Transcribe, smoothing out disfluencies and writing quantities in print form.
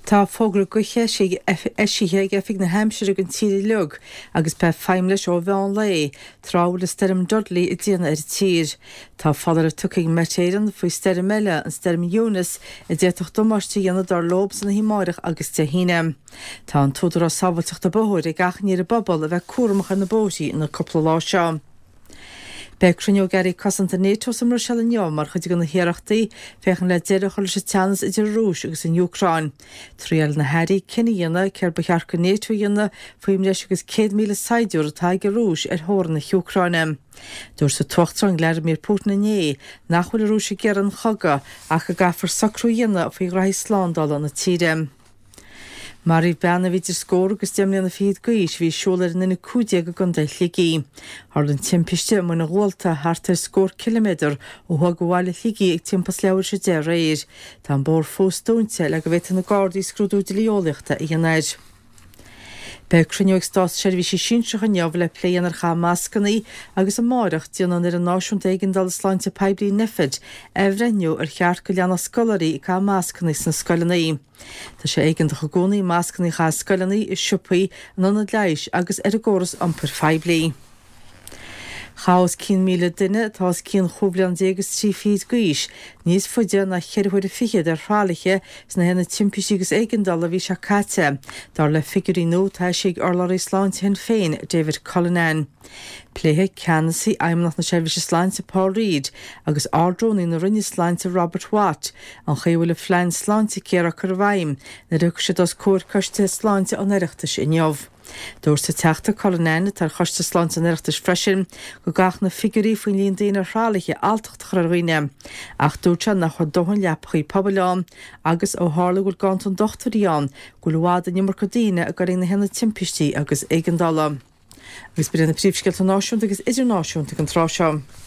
Tá fógra gaoithe eisithe ag Oifig na hAimsire don tír uilig agus beidh feidhm leis ó mheán lae, tráth a bhfuil an stoirm Dudley ag déanamh ar an tír. Tá foláireamh tugtha ag Met Éireann faoi stoirm eile, an stoirm Eunice, a d'fhéadfadh damáiste a dhéanamh dar leo san oíche amáireach agus Dé hAoine. Tá an tÚdarás Sábháilteachta Bóthair ag achainí ar an bpobal a bheith cúramach ar na bóithrí na cúpla lá seo. Beidh cruinniú ag Airí Cosanta NATO sa mBruiséil inniu mar chuid de na hiarrachtaí féachaint le deireadh a chur leis an teannas idir an Rúis agus an Úcráin. Triailfidh na hairí cinneadh a dhéanamh céard ba cheart do NATO a dhéanamh faoin mbreis agus 100,000 saighdiúir atá ag an Rúis ar theorainn na hÚcráine. Dúirt an tUachtarán Vladimir Putin inné nach bhfuil an Rúis ag iarraidh an chogadh ach go gcaithfear socrú a dhéanamh faoi ghraithí slándála na tíre. Maraíodh bean a bhí idir scór agus 10 mbliana fichead d'aois a bhí ag siúl ar an N15 i gContae Shligigh. Tharla an timpiste i Muine Dhualta, thart ar scór ciliméadar ó thuaidh de bhaile Shligigh ag timpeall is leathuair tar éis a 10 aréir. Tá an bóthar fós dúnta le go bhféadfaidh na Gardaí scrúdú dlí-eolaíochta a dhéanamh air. Beidh cruinniú ag státseirbhísigh sinsearacha inniu le plé a dhéanamh ar chaitheamh mascanna agus amáireach déanfaidh an Fhoireann Náisiúnta Éigeandála Sláinte Poiblí, Nphet, athbhreithniú ar cheart go leanfadh scoláirí ag caitheamh mascanna sna scoileanna. Tá sé éigeantach i gcónaí mascanna a chaitheamh i scoileanna, i siopaí, in ionaid leighis agus ar an gcóras iompair phoiblí. Chaith os cionn 1,000 duine atá os cionn chúig bhliana déag is trí fichid d'aois níos faide ná cheithre huaire fichead ar thralaithe sna haonaid timpistí agus éigeandála an mhí seo caite, dar le figiúirí nua atá eisithe ag urlabhraí sláinte Shinn Féin, David Cullinane. Pléifidh ceannasaí Fheidhmeannacht na Seirbhíse Sláinte Paul Reid agus Ard-Rúnaí na Roinne Sláinte Robert Watt an chaoi a bhfuil an phlean Sláintecare á cur i bhfeidhm nuair a thiocfaidh siad os comhair Coiste Sláinte an Oireachtais inniu. Dúirt an Teachta Cullinane, atá ar Choiste Sláinte an Oireachtais freisin, go gcaithfeadh na figiúirí faoin líon daoine ar thralaithe alltacht a chur ar dhaoine, ach dúirt sé nach raibh dóthain leapachaí pobail ann agus, ó tharla go bhfuil ganntan dochtúirí ann, go bhfuil i bhfad an iomarca daoine ag dul chuig na haonaid timpistí agus éigeandála. Agus b'in iad na príomhscéalta náisiúnta agus idirnáisiúnta ag an tráth seo.